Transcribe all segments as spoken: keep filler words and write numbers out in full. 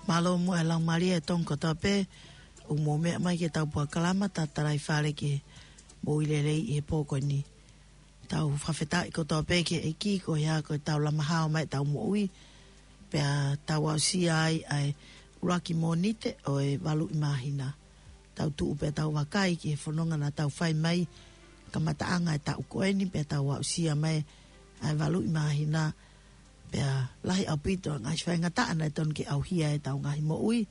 Mālō muʻa e laumālie ʻa e Tonga kotoa pē, ʻoku mou meʻa mai ki heʻetau polokalama Talitalaifale ki he Moʻui Lelei ʻi he pō ko eni. Tau fakafetaʻi kotoa pē ki he ʻEiki koeʻuhi ko ʻetau lama hao mai ʻetau moʻui, pea tau aʻusia ai ʻa e ʻuluaki Mōnite ʻo e valu ʻi māhina. Tau tuʻu pea tau vakai ki he fononga naʻa tau fai mai kamataʻanga e taʻu ko eni, pea tau aʻusia mai ʻa e valu ʻi māhina, pea lahi ʻaupito e ngaahi faingataʻa naʻe tonu ke ʻauhia ʻetau ngaahi moʻui,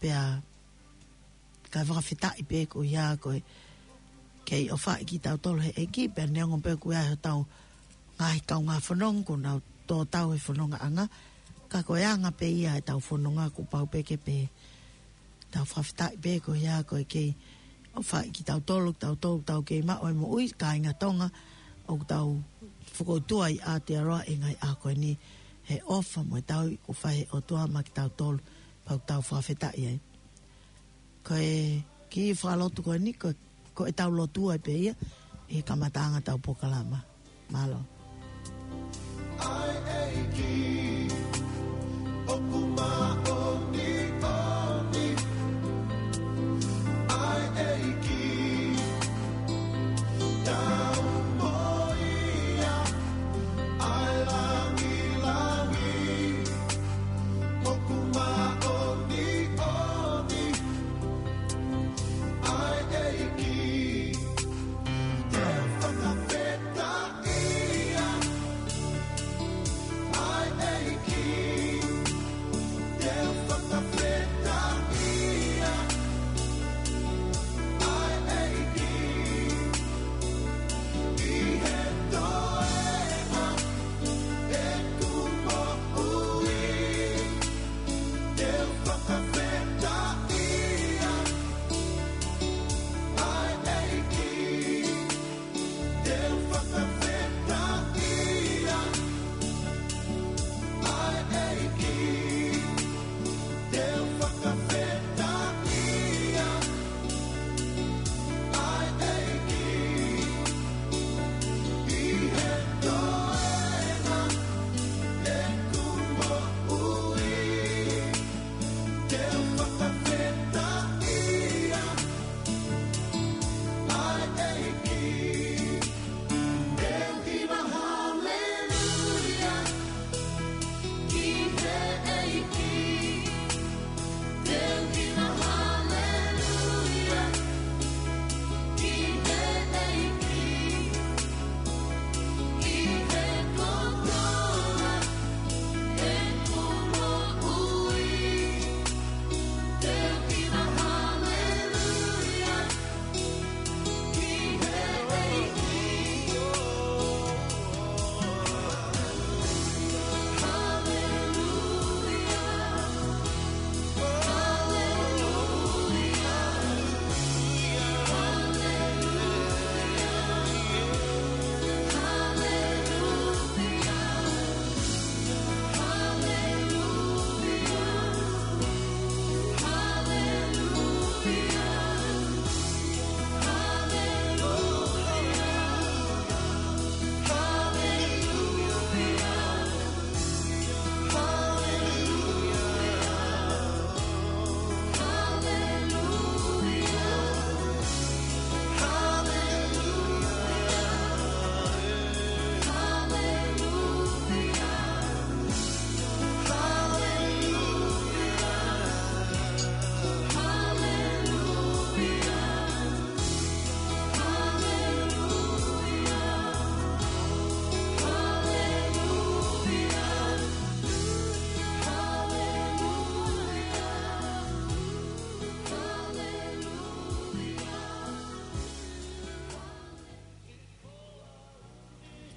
pea kae fakafetaʻi pē koeʻuhi ko e kei ʻofaʻi kitautolu he ʻEiki, pea neongo pē ʻoku ʻi ai hotau ngaahi kaungā fononga ʻoku nau tō tau he fonongaʻanga, ka ko e anga pē ia ʻetau fononga kuo pau pē ke pehē. Tau fakafetaʻi pē koeʻuhi ko e kei ʻofaʻi kitautolu, tautolu, tau kei maʻu e moʻui, kāinga Tonga, ʻoku tau fokoutua ʻi Aotearoa ʻi he ngaahi ʻaho ko eni he ʻofa mo e tauhi kuo fai he ʻOtua maʻa kitautolu, pea ʻoku tau fakafetaʻi ai. Ko e kiʻi fakalotu ko eni, ko, ko ʻetau lotu ai pē ia ʻi he kamataʻanga ʻetau polokalama. Mālō. ʻAi ʻEiki, ʻoku māʻoniʻoni. ʻAi ʻEiki, tau moʻui ia. ʻAi langilangi, ʻoku māʻoniʻoni. ʻAi ʻEiki, te u fakafetaʻi ia. ʻAi ʻEiki, te u fakafetaʻi ia. ʻAi ʻEiki, ʻi he toenga ʻeku moʻui. Te u fakafetaʻi ia. ʻAi ʻEiki, te u fakafetaʻi ia. ʻAi ʻEiki, te u fakafetaʻi ia. ʻAi ʻEiki, ʻi he toenga ʻeku moʻui. Te u fakafetaʻi ia. ʻAi ʻEiki, te u hiva haleluia ki he ʻEiki. Te u hiva haleluia ki he ʻEiki. ʻI he kotoa ʻeku moʻui. Te u hiva haleluia ki he ʻEiki. Haleluia.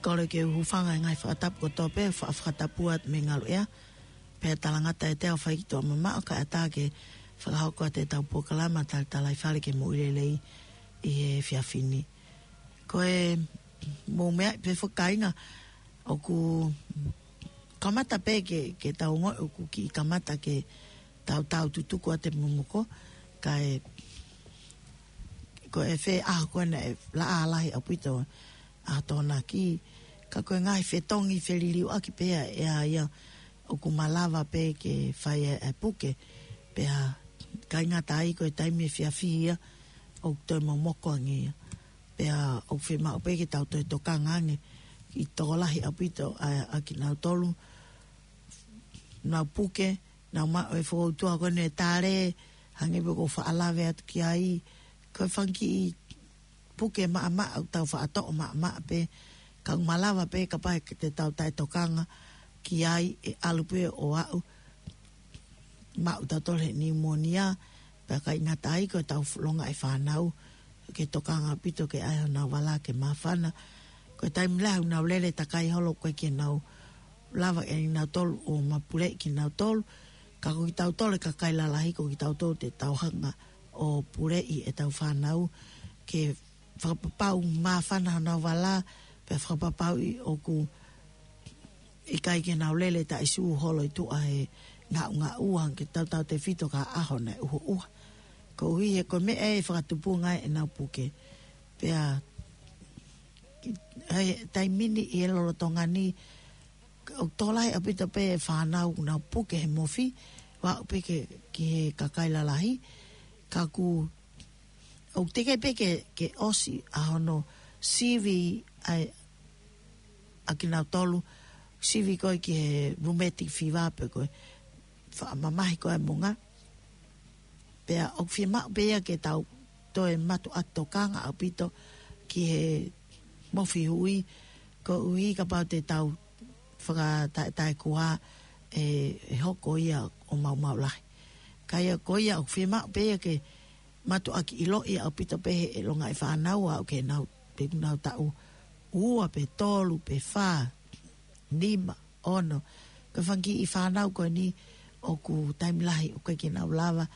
Kole ke u hūfanga he ngaahi fakatapu kotoa pē, fa-, fakatapu atu mei he ngaluʻea. Pea talangata ʻiate au ʻa e fai ki tuʻa mamaʻo kae ʻatā ke fakahoko atu ʻetau polokalama Talitalaifale ki he Moʻui Lelei ʻi he efiafi ni. Ko e mou meaʻi pē foki kāinga, ʻoku kamata pē ke, ke tau ongoʻi ʻoku kiʻi kamata ke tau tau tutuku atu e momoko, kae ko e fē ʻaho ko ena ʻe laʻā lahi ʻaupito ʻa e tokonaki, ka ko e ngaahi fetongi feliliuaki pē ia ʻa ia ʻoku malava pē ke fai e, e puke, pea ʻikai ngata ai ko e taimi efiafi ia, ʻoku toe momoko ange ia. Pea ʻoku fiemaʻu pē ke tau toe tokanga ange, ʻi he tokolahi ʻaupito ʻa, ʻa kinautolu, nau puke, nau maʻu e fokoutua ko eni e tale, hangē pē ko e faʻa lave atu ki ai, ko e fanga kiʻi puke maʻamaʻa, ʻoku tau faʻa toʻo maʻamaʻa pē, ka ʻoku malava pē kapau te tau taʻetokanga ki ai ʻe ʻalu pē ʻo aʻu, maʻu tautolu he niumonia, pea ʻikai ngata ai ko ʻetau longaʻi fānau, ke tokanga ʻaupito ke ʻai honau vala ke māfana. Ko e taimi lahi ʻoku nau lele takai holo ko ē ke nau lava ʻe nautolu ʻo mapuleʻi kinautolu, ka ko kitautolu e kakai lalahi ko kitautolu te tau hanga ʻo puleʻi ʻetau fānau, ke fakapapau māfana honau vala, pea fakapapauʻi ʻoku ʻikai ke nau lele taʻesū holo ʻi tuʻa he ngaʻungaʻua, ke tautautefito ki ha ʻaho naʻe ʻuhoʻuha. Koeʻuhi he ko e meʻa ē ʻe fakatupunga ai ʻenau puke. Pea ʻi he taimi ni ʻi he lolotonga ni, ʻoku tokolahi ʻaupito pē e fānau ʻoku nau puke he mofi, ʻo aʻu pē ke, ki he kakai lalahi, ka ʻoku, ʻoku teʻeki pē ke, ke ʻosi ʻa hono sivi ai ʻa kinautolu, sivi ko ē ki he rheumatic fever pe ko e faʻa mamahi ko ē e monga. Pea ʻoku fiemaʻu pē ia ke tau toe mātuʻaki tokanga ʻaupito ki he mofi hui, koeʻuhi kapau te tau fakataʻetaʻekua ʻe, ʻe hoko ia ʻo maumau lahi. Ka ia ko ia ʻoku fiemaʻu pē ia ke mātuʻaki ʻiloʻi ʻaupito pē he, he longaʻi fānau ʻo aʻu ke nau, pe nau taʻu ua pe tolu pe fā, nima, ono. Ko e fanga kiʻi fānau ko eni ʻoku taimi lahi ʻoku ʻikai ke nau lava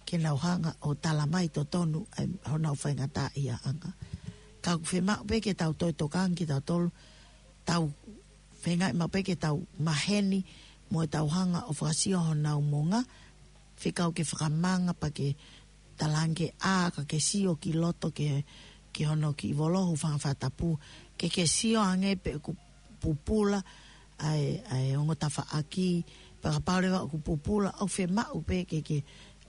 ke nau hanga ʻo tala mai totonu ʻa honau faingataʻaʻiaʻanga. Ka ʻoku fiemaʻu pē ke tau toe tokanga kitautolu, tau feingaʻi maʻu pē ke tau maheni mo ʻetau hanga ʻo fakasio honau monga, fekau ke fakamanga pea ke talaange ke ʻā ka ke sio ki loto ke, ki hono kiʻi volo hūfanga he fakatapu, ke ke sio ange pe ʻoku pupula ʻa e, ʻa e ongo tafaʻaki, pea kapau leva ʻoku pupula, ʻoku fiemaʻu pē ke ke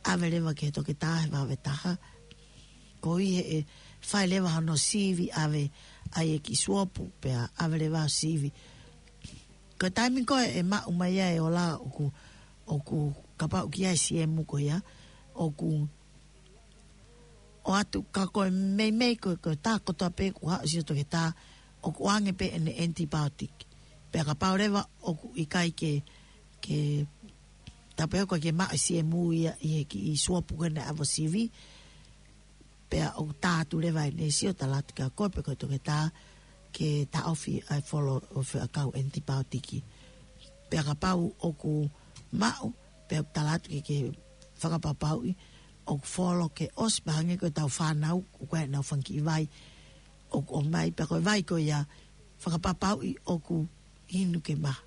ʻave leva ki he toketā he vave taha. Koeʻuhi he ʻe fai leva hono sivi, ʻave ʻa e kiʻi suopu, pea ʻave leva sivi. Ko e taimi ko ē ʻe maʻu mai ai e ola ʻoku, ʻoku kapau ʻoku ʻi ai e siemu ko ia, ʻoku ʻoatu ka ko e meimei ko e, ko e tā kotoa pē kuo haʻu ʻo sio toketā, ʻoku ʻoange pē ʻene antibiotic. Pea kapau leva ʻoku ʻikai ke, ke, tā pē ʻoku ʻikai ke maʻu e siemu ia ʻi he kiʻi suopu ko ē naʻe ʻave ʻo sivi, pea ʻoku tā atu leva ʻene sio, tala atu kia koe pe ko e toketā, ke taʻofi ʻa e folo ʻo e foʻi ʻakau antibiotic. Pea kapau ʻoku maʻu, pea ʻoku tala atu ke ke fakapapauʻi ʻoku folo ke ʻosi, pea hangē ko ʻetau fānau, ʻoku ʻi ai ʻenau fanga kiʻi vai ʻoku ʻomai, pea ko e vai ko ia fakapapauʻi ʻoku inu ke maha.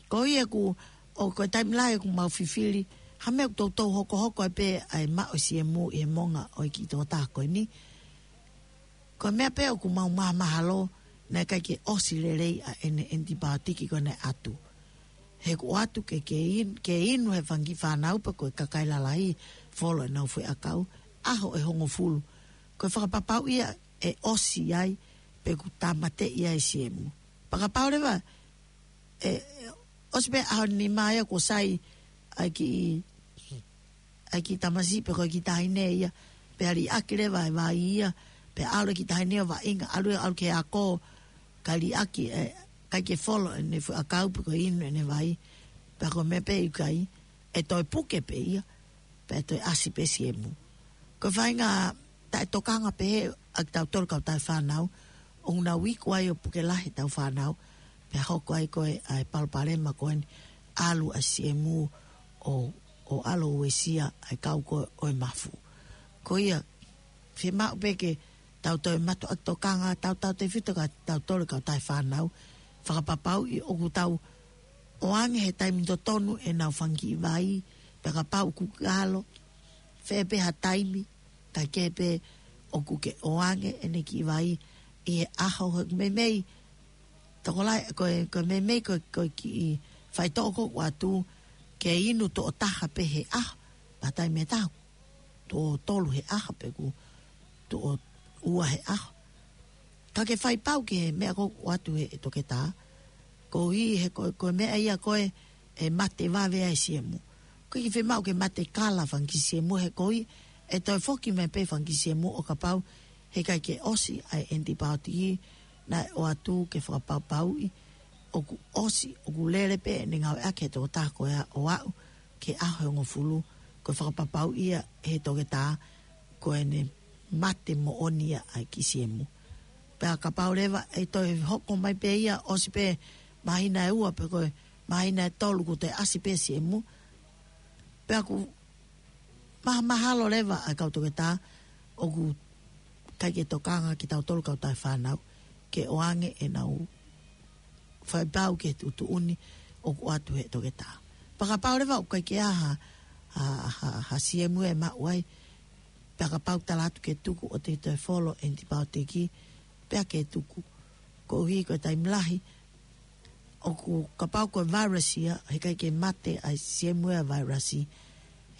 Ko ia ʻoku, ʻo ko e taimi lahi ʻoku mau fifili ha meʻa ʻoku toutou hokohoko ai pē ʻa e maʻu e siemu ʻi he monga ʻo e kiʻi tokotaha ko eni. Ko e meʻa pē ʻoku mau mahamahalo naʻe ʻikai ke ʻosi lelei ʻa ʻene antibiotic ko ē naʻe ʻatu. He ʻoku ʻoatu ke, ke in-, ke inu he fanga kiʻi fānau pe ko e kakai lalahi folo ʻenau foʻi ʻakau ʻaho ʻe hongofulu. Ko e fakapapauʻi ia ʻe ʻosi ai pe ʻoku tāmateʻi ai e siemu. Pea kapau leva ʻe, ʻe ʻosi pē ʻaho nima ia kuo sai ʻa e kiʻi, ʻa e kiʻi tamasiʻi pe ko e kiʻi taʻahine ia, pea liʻaki leva e vai ia, pea ʻalu e kiʻi taʻahine ʻo vaʻinga, ʻalu, ʻalu ki he ako, kae liʻaki, ʻe ʻikai ke folo ʻene foʻi ʻakau pe ko e inu ʻene vai, pea ko e meʻa pē ʻoku ʻikai, ʻe toe puke pē ia, pea toe ʻasi pē siemu. Ko e faʻahinga taʻetokanga pehē ʻa kitautolu kautaha fānau, ʻoku nau iku ai ʻo puke lahi ʻetau fānau, pea hoko ai ko ē ʻa e palopalema ko eni, ʻalu ʻa e siemu ʻo, ʻo ʻalu ʻo uesia ʻa e kau ko ē ʻo e mafu. Ko ia, fiemaʻu pē ke tau toe mātuʻaki tokanga, tautautefito kia kitautolu kautaha fānau, fakapapauʻi ʻoku tau ʻoange he taimi totonu ʻenau fanga kiʻi vai, pea kapau ʻoku kalo, fē pē ha taimi, kae kehe pē ʻoku ke ʻoange ʻene kiʻi vai ʻi he ʻaho, he meimei, tokolahi, ko e, ko e meimei ko e, ko e kiʻi faitoʻo ʻoku ʻoatu ke inu tuʻo taha pē he ʻaho, pea taimi ʻe taha tuʻo tolu he ʻaho pe ʻoku tuʻo ua he ʻaho. Ka ke fai pau ki he meʻa ʻoku ʻoatu he ʻe toketā. Koeʻuhi he ko, ko e meʻa ia ko ē ʻe mate vave ai siemu. ʻOku ʻikai ke fiemaʻu ke mate kala fanga kiʻi siemu he koeʻuhi ʻe toe foki mai pē fanga kiʻi siemu ʻo kapau he ʻikai ke ʻosi ʻa e ʻenitipaotiki naʻe ʻoatu ke fakapapauʻi ʻoku ʻosi, ʻoku lele pē ʻene ngāueʻaki he tokotaha ko ia ʻo aʻu ki he ʻaho ʻe hongofulu, ko e fakapapauʻi ia he toketā ko ʻene mate moʻoni ia ʻa e kiʻi siemu. Pea kapau leva ʻe toe hoko mai pē ia ʻosi pē māhina ʻe ua pe ko e māhina ʻe tolu kuo toe ʻasi pē siemu. Pea ʻoku maha, mahalo leva ʻa e kau toketā ʻoku ʻikai ke tokanga kitautolu kau tauhi fānau ke ʻoange ʻenau fai pau ki he tuʻutuʻuni ʻoku ʻoatu he toketā. Pea kapau leva ʻoku ʻikai ke ʻi ai ha, ha, ha, ha siemu ʻe maʻu ai, pea kapau tala atu ke tuku ʻo te toe folo ʻenitipaotiki, pea ke tuku. Koeʻuhi ko e taimi lahi, ʻoku kapau ko e vairasi ia, he ʻikai ke mate ʻa e siemu ʻa e vairasi,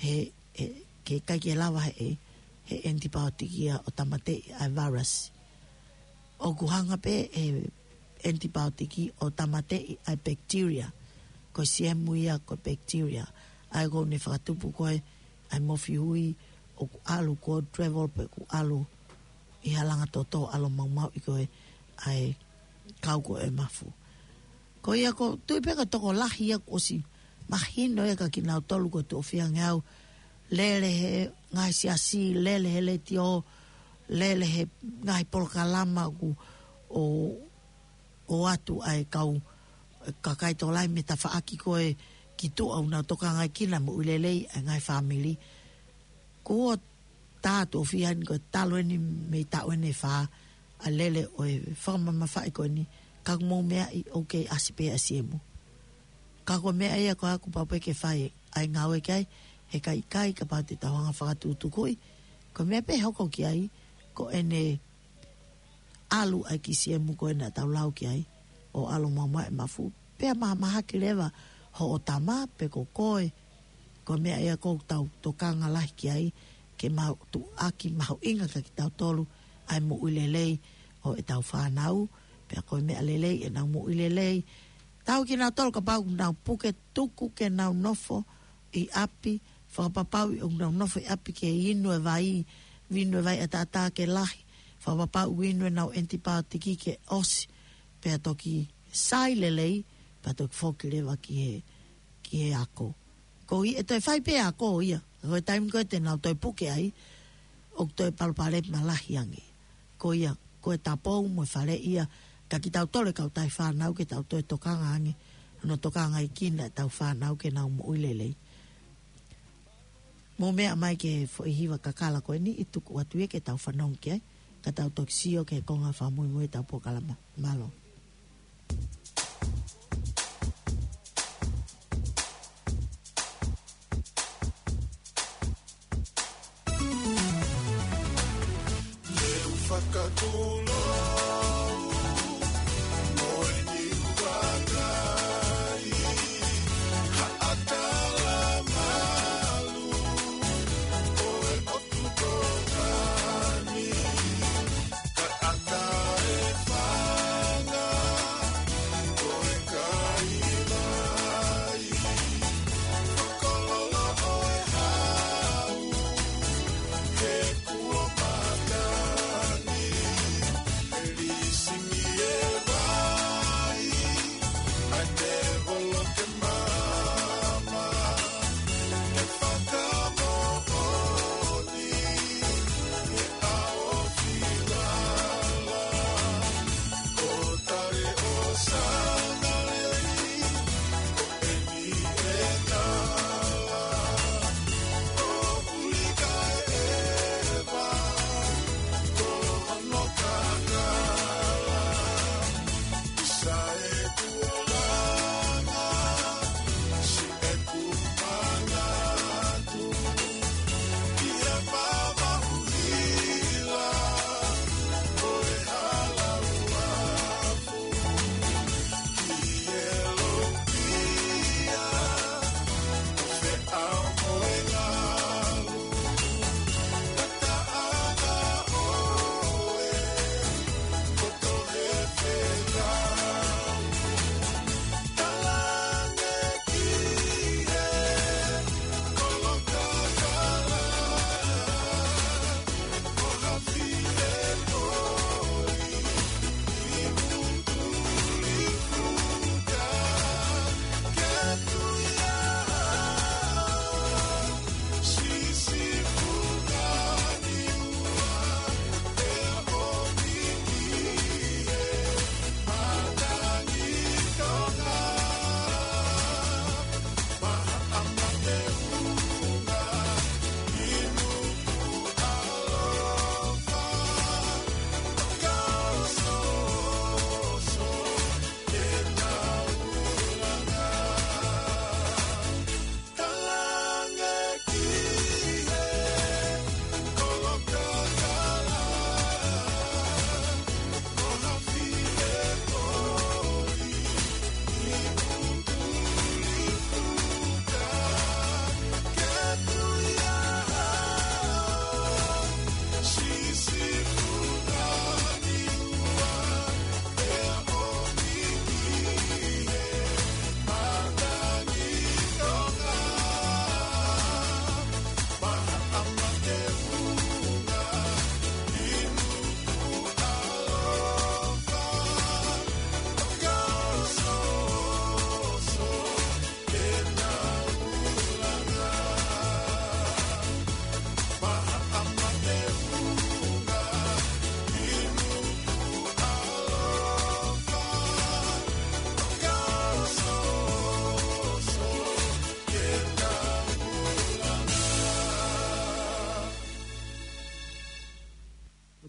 he, he, ke ʻikai ke lava he, he ʻenitipaotiki ia ʻo tāmateʻi ʻa e vairasi. ʻOku hanga pē he ʻenitipaotiki ʻo tāmateʻi ʻa e bacteria, ko e siemu ia ko e bacteria. ʻA ia ʻoku ne fakatupu ko ē ʻa e mofihui ʻoku ʻalu ko e travel pe ʻoku ʻalu ʻi he langa toto ʻalu maumauʻi ko ē ʻa e kau ko ē mafu. Ko ia ʻoku ou tui pē ko e tokolahi ia kuo ʻosi mahino ia kia kinautolu ko e tuʻo fiha ange au, lele he ngaahi siasi, lele he letiō, lele he ngaahi polokalama ʻoku ʻo, ʻoatu ʻa e kau, kakai tokolahi mei he tafaʻaki ko ē ki tuʻa ʻoku nau tokangaʻi kinautolu moʻui lelei ʻa e ngaahi fāmili. Kuo tā tuʻo fiha ni ko e talu eni mei taʻu eni ʻe fā ʻa e lele ʻo e fakamamafaʻi ko eni, ka ʻoku mou meaʻi ʻoku kei ʻasi pē ʻa e siemu. Ka ko e meʻa ia ko ē ʻoku pau pē ke fai ʻa e ngāue ki ai, he ʻikai, ʻikai kapau te tau hanga fakatukutukuʻi. Ko e meʻa pē ʻe hoko ki ai, ko ʻene ʻalu ʻa e kiʻi siemu ko ē naʻa tau lau ki ai, ʻo ʻalu maumauʻi e mafu. Pea mahamahaki leva hoʻo tama pe ko koe, ko e meʻa ia ʻoku tau tokanga lahi ki ai, ke mau tuʻaki mahuʻinga kia kitautolu ʻa e moʻui lelei ʻo ʻetau fānau, pea ko e meʻa lelei ʻenau moʻui lelei. Tau kinautolu kapau ʻoku nau puke, tuku ke nau nofo ʻi ʻapi, fakapapauʻi ʻoku nau nofo ʻi ʻapi ke inu e vai, vinu e vai ʻataʻatā ke lahi, fakapapauʻi ʻoku inu ʻenau ʻenitipaotiki ke ʻosi, pea toki sai lelei, pea toki foki leva ki he, ki he ako. Koeʻuhi ʻe toe fai pē ako ia, ko e taimi ko ē te nau toe puke ai, ʻoku toe palopalema lahi ange. Ko ia, ko e tapou mo e faleʻi ia kia kitautolu e kau tauhi fānau ke tau toe tokanga ange, hono tokangaʻi kinautolu ʻetau fānau ke nau moʻui lelei. Mou meʻa mai ki he foʻi hiva kakala ko eni ʻi tuku atu ia ke tau fanongo ki ai, ka tau toki sio ki he konga fakamuimui ʻetau polokalama. Mālō.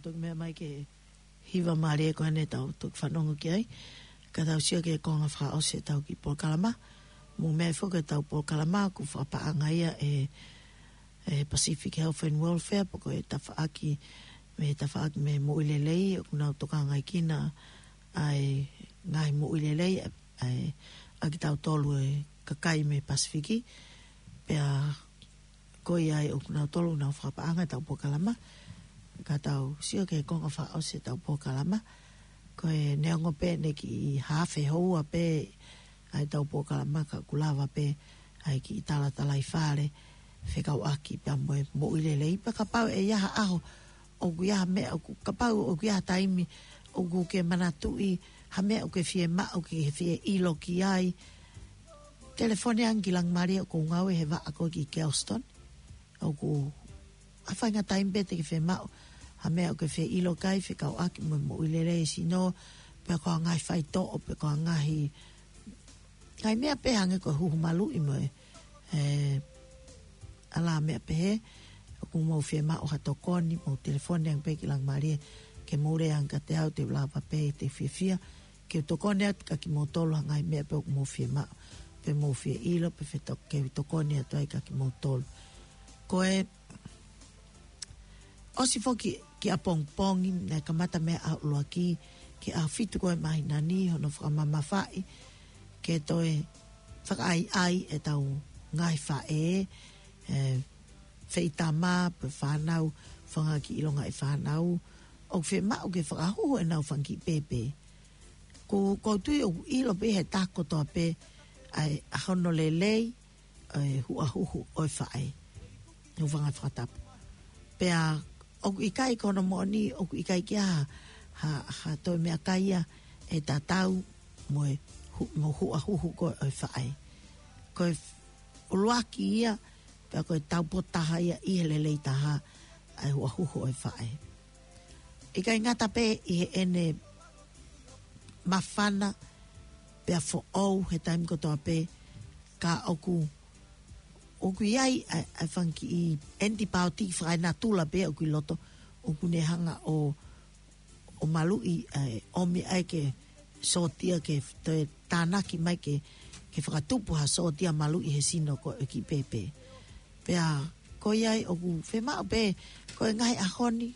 Toki meʻa mai ki he hiva mālie ko eni ʻoku tau toki fanongo ki ai. Ka tau sio ki he konga fakaʻosi ʻetau kiʻi polokalama. Mou meaʻi foki ʻetau polokalama ʻoku fakapaʻanga ia ʻe, ʻe Pacific Health and Welfare, pe ko e tafaʻaki, mei he tafaʻaki mei he moʻui lelei, ʻoku nau tokangaʻi kinaua ʻa e ngaahi moʻui lelei, ʻa e, ʻa kitautolu e kakai mei Pasifiki. Pea ko ia ai ʻoku nau tolu nau fakapaʻanga ʻetau polokalama. Ka tau sio ki he konga fakaʻosi ʻetau polokalama. Ko e neongo pē ʻene kiʻi haafe houa pē ʻa ʻetau polokalama, ka ʻoku lava pē ʻa e kiʻi talatalaifale fekauʻaki pea mo e moʻui lelei. Pea kapau ʻe ʻi ai ha ʻaho ʻoku ʻi ai ha meʻa ʻoku, kapau ʻoku ʻi ai ha taimi ʻoku ke manatuʻi ha meʻa ʻoku ke fiemaʻu ke ke fie ʻilo ki ai, telefoni ange ki Langimalie, ʻoku ou ngāue he vaʻa ko ē ki Kelston. ʻOku ʻi ai ha faʻahinga taimi pē te ke fiemaʻu ha meʻa ʻoku ke fie ʻilo ki ai fekauʻaki mo e moʻui lelei e sino, pe ko e ngaahi faitoʻo, pe ko e ngaahi, ngaahi meʻa pē hangē ko e huhu maluʻi mo e, e, ʻalā meʻa pehē. ʻOku mou fiemaʻu ha tokoni, mou telefoni ange pē ki Langimalie, ke mou lea ange kiate au, te u lava pē, te u fiefia ke u tokoni atu kiate kimoutolu ha ngaahi meʻa pē ʻoku mou fiemaʻu, pe mou fie ʻilo, pe feto-, ke u tokoni atu ai kiate kimoutolu. Ko e ʻosi foki ki ʻapongipongi, naʻe kamata mei he ʻaho ʻuluaki ki he ʻaho fitu ko ē māhina ni hono fakamamafaʻi ke toe fakaʻaiʻai ʻetau ngaahi faʻē, e, feitama pe fānau, fanga kiʻi longaʻi fānau, ʻoku fiemaʻu ke fakahuhu ʻenau fanga kiʻi pēpē. Ko, ʻoku ou tui ʻoku ʻilo pē ʻe he taha kotoa pē ʻa e, ʻa hono lelei ʻa e huʻahuhu ʻo e faʻē, hūfanga he fakatapu. Pea ʻoku ʻikai, ko hono moʻoni, ʻoku ʻikai ke ʻi ai ha, ha, ha toe meʻakai ia ʻe tatau mo e hu-, mo e huʻahuhu ko ē ʻo e faʻē. Ko e f-, ʻuluaki ia, pea ko e taupotu taha ia ʻi he lelei taha ʻa e huʻahuhu ʻo e faʻē. ʻIkai ngata pē ʻi heʻene māfana pea foʻou he taimi kotoa pē, ka ʻoku, ʻoku ʻi ai ʻa e, ʻa e fanga kiʻi ʻenitipaiotiki fakaenatula pē ʻoku ʻi loto, ʻoku ne hanga ʻo, ʻo maluʻi, ʻa e, ʻomi ai ke sōtia, ke toe tānaki mai ke, ke fakatupu ha sōtia maluʻi he sino ko ē ʻo e kiʻi pēpē. Pea ko ia ai ʻoku fiemaʻu pē, ko e ngaahi ʻaho ni,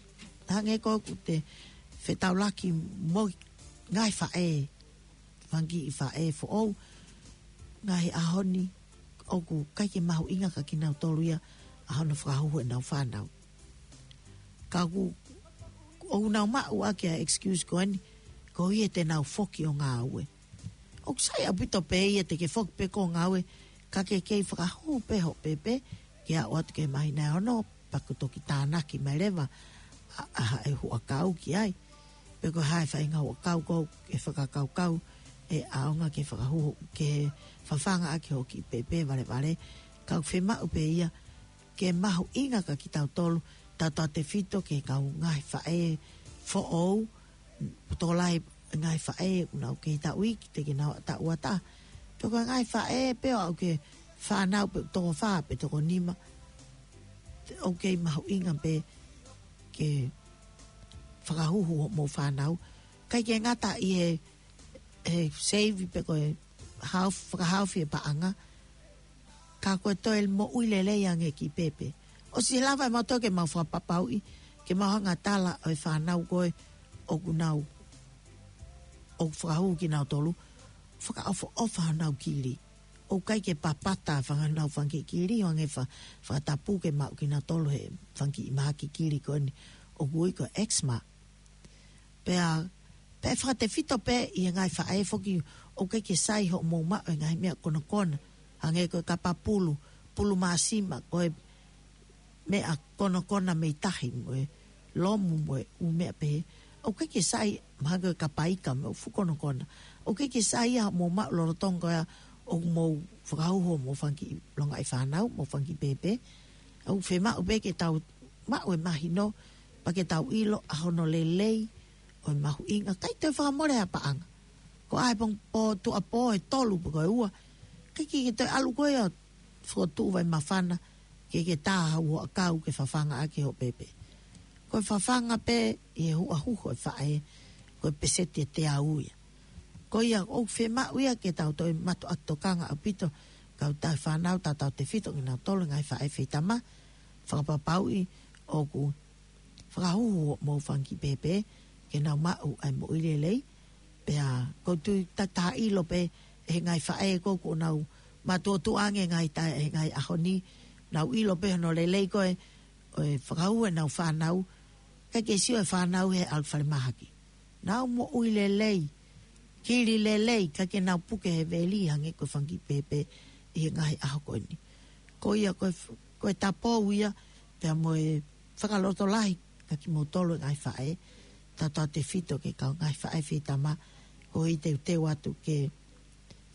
hangē ko ē ʻoku te fetaulaki mo e ngaahi faʻē, fanga kiʻi faʻē foʻou, ngaahi ʻaho ni ʻoku ʻikai ke mahuʻinga kiate kinautolu ia ʻa hono fakahuhu ʻenau fānau. Ka ʻoku, ʻoku nau maʻu ʻaki ʻa e excuse ko eni, koeʻuhi he te nau foki ʻo ngāue. ʻOku sai ʻaupito pē ia te ke foki pē koe ʻo ngāue, ka ke kei fakahuhu pē hoʻo pēpē ke aʻu atu ki he māhina ʻe ono, pea kuo toki tānaki mai leva ʻa, ʻa e huʻakau ki ai. Pe ko e hā e faʻahinga huʻakau ko ē ke fakakaukau ʻe ʻaonga ke fakahuhu, ke fafanga ʻaki hoʻo kiʻi pēpē valevale. Ka ʻoku fiemaʻu pē ia ke mahuʻinga kiate kitautolu, tautautefito ki he kau ngaahi faʻē foʻou, tokolahi ngaahi faʻē ʻoku nau kei taʻu iiki, teʻeki ke nau taʻu ʻatā. Pe ko e ngaahi faʻē pē ʻoku ʻi ai e fānau pē ʻoku toko fā pe toko nima, ʻoku kei mahuʻinga pē ke fakahuhu hoʻomou fānau. ʻIkai ke ngata ʻi he, he save pe ko e haofi, fakahaofi e paʻanga, ka ko e toe moʻui lelei ange e kiʻi pēpē. ʻOsi lava ʻe mautolu ke mau fakapapauʻi, ke mau hanga ʻo tala ʻa e fānau ko ē ʻoku nau, ʻoku fakahuhu kinautolu, fakaʻofoʻofa honau kili. ʻOku ʻikai ke papata fanga, honau fanga kiʻi kili, hangē fa-, fakatapu ke maʻu kinautolu he fanga kiʻi mahaki kili ko eni ʻoku ui ko e eczema. Pea, pea fakatefito pē ʻi he ngaahi faʻē foki, ʻoku ʻikai ke sai hoʻomou maʻu e ngaahi meʻa konokona, hangē ko e kapa pulu, pulu māsima, ko e meʻa konokona mei tahi mo e lomu mo e ʻū meʻa pehē. ʻOku ʻikai ke sai, mahalo ko e kapa ika mo e fuʻu konokona. ʻOku ʻikai ke sai ia hoʻomou maʻu lolotonga ko ia ʻoku mou fakahuhu hoʻomou fanga kiʻi longaʻi fānau, mou fanga kiʻi pēpē. ʻOku fiemaʻu pē ke tau maʻu e mahino, pea ke tau ʻilo ʻa hono lelei ʻo e mahuʻinga, ʻikai toe fakamole ha paʻanga. Ko e ʻaho pē pō, tuʻuapō ʻe tolu pe ko e ua, ʻikai ke, ke toe ʻalu koe ʻo fokotuʻu vai māfana, ke ke tā ha huʻakau ke fafanga ʻaki hoʻo pēpē. ko e fafanga pē ʻi he huʻahuhu ʻo e faʻē, ko e peseti ʻe teau ia. Ko ia ʻoku fiemaʻu ia ke tau toe mātuʻaki tokanga ʻaupito, kautaha fānau, tautautefito kinautolu ngaahi faʻē feitama, fakapapauʻi ʻoku fakahuhu hoʻomou fanga kiʻi pēpē ke nau maʻu ʻa e moʻui lelei. Pea ʻoku ou tui ʻoku tau ʻilo pē ʻe he ngaahi faʻē ko ē ʻoku nau mātuʻotuʻa ange ngaahi taʻe ʻi he ngaahi ʻaho ni, nau ʻilo pē hono lelei ko ē ʻo e fakahuhu ʻenau fānau, kae ʻikai ke sio e fānau he ʻalu falemahaki. Nau moʻui lelei, kili lelei, kae ʻikai ke nau puke he veli hangē ko e fanga kiʻi pēpē ʻi he ngaahi ʻaho ko eni. Ko ia ko e f-, ko e tapou ia, pea mo e fakalotolahi kia kimoutolu e ngaahi faʻē, tautautefito ki he kau ngaahi faʻē feitama, ʻoku ou teuteu atu ke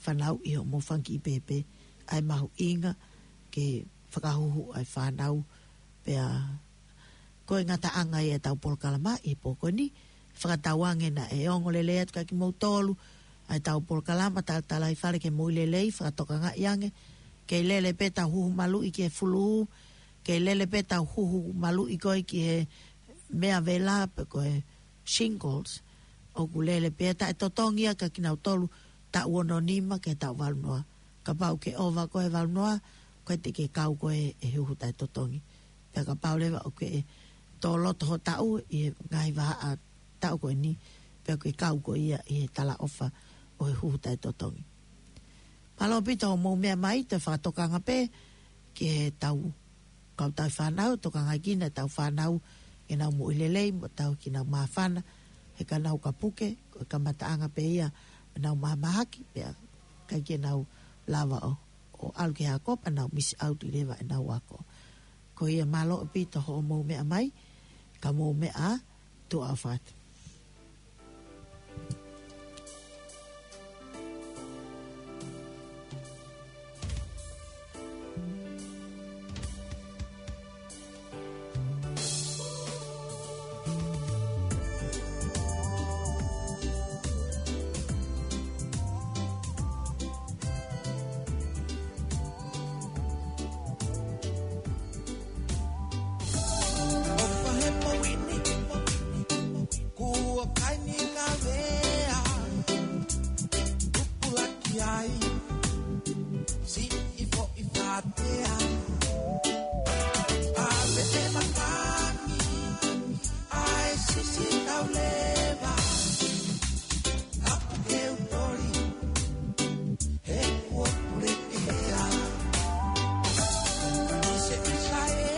fanauʻi hoʻomou fanga kiʻi pēpē, ʻa e mahuʻinga ke fakahuhu ʻa e fānau, pea ko e ngataʻanga ia ʻetau polokalama ʻi he pō ko eni, fakatauange naʻe ongo lelei atu kia kimoutolu ʻa ʻetau polokalama Talatalaifale ki he Moʻui Lelei, fakatokangaʻi ange, kei lele pē ʻetau huhu maluʻi ki he fulū, kei lele pē ʻetau huhu maluʻi ko ē ki he meʻa vela pe ko e shingles, ʻoku lele pē ia, taʻetotongi ia kia kinautolu taʻu ono nima ki he taʻu valu noa. Kapau ʻoku ke ʻova koe he valu noa, ʻoku ʻikai te ke kau koe he huhu taʻetotongi. Pea kapau leva ʻoku ke tō loto ho taʻu ʻi he ngaahi vahaʻa taʻu ko eni, pea ʻoku ke kau koe ia ʻi he talaʻofa ʻo e huhu taʻetotongi. Mālō ʻaupito hoʻomou meʻa mai, toe fakatokanga pē ki heʻetau kautaha fānau, tokangaʻi kinautolu ʻetau fānau ke nau moʻui lelei, mo ʻetau kiʻi nau māfana, he ka nau ka puke, ko e kamataʻanga pē ia ʻenau mahamahaki, pea ʻikai ke nau lava ʻo, ʻo ʻalu ki he ako, pea nau miss out leva ʻenau ako. Ko ia, mālō ʻaupito hoʻomou meʻa mai, ka mou meʻa ā, tuʻa ʻofa atu. ʻOfa he poini, kuo kai ni ka vea, tupulaki ai, siʻi foʻi fatea, ʻave e matangi, ʻa e sisi tau leva, apu ke u toli, he kuo pule ke hea. ʻI se ʻisa e,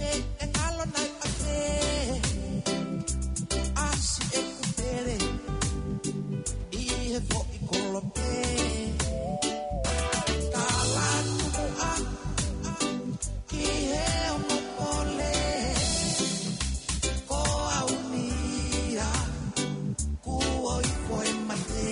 e, e kalo nai ʻa te, ʻasi e kutele, ʻi he foʻi kolope. Kala tuku ā, ki he ongo pole, ko au ni ia, kuo ifo e mate.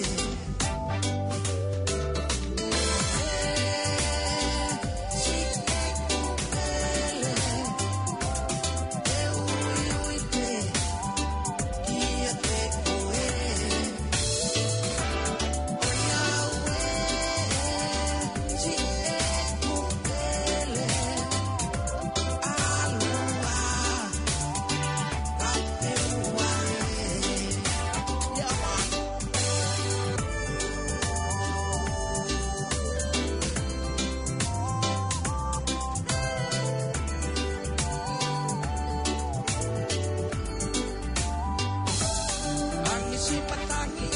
Angisi patangi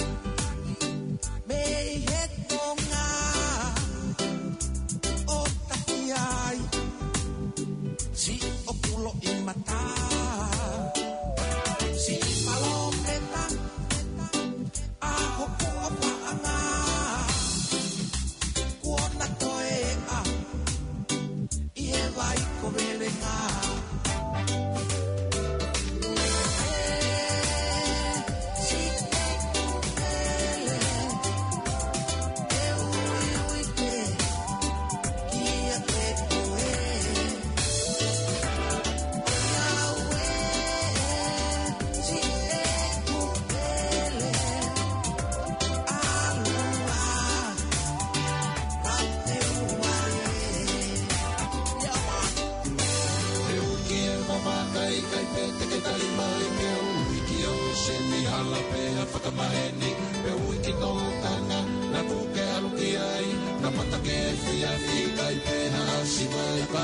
mei he tonga ʻo tahi ai, siʻoku loʻimata, siʻi palōmeta, ʻa hoku ʻofaʻanga, kuo na toeʻa ʻi he vai ko Velenga.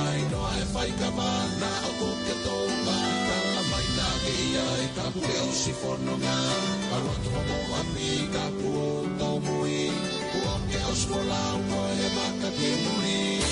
ʻAi noa e fai kama na ʻoku ke tō ma. Kala mai na ke ia e kapu ke ʻosi fononga. Kalo atu homo ʻapi kapu o tōmui. Kuo ke ʻosi folau ko e maka ki muli.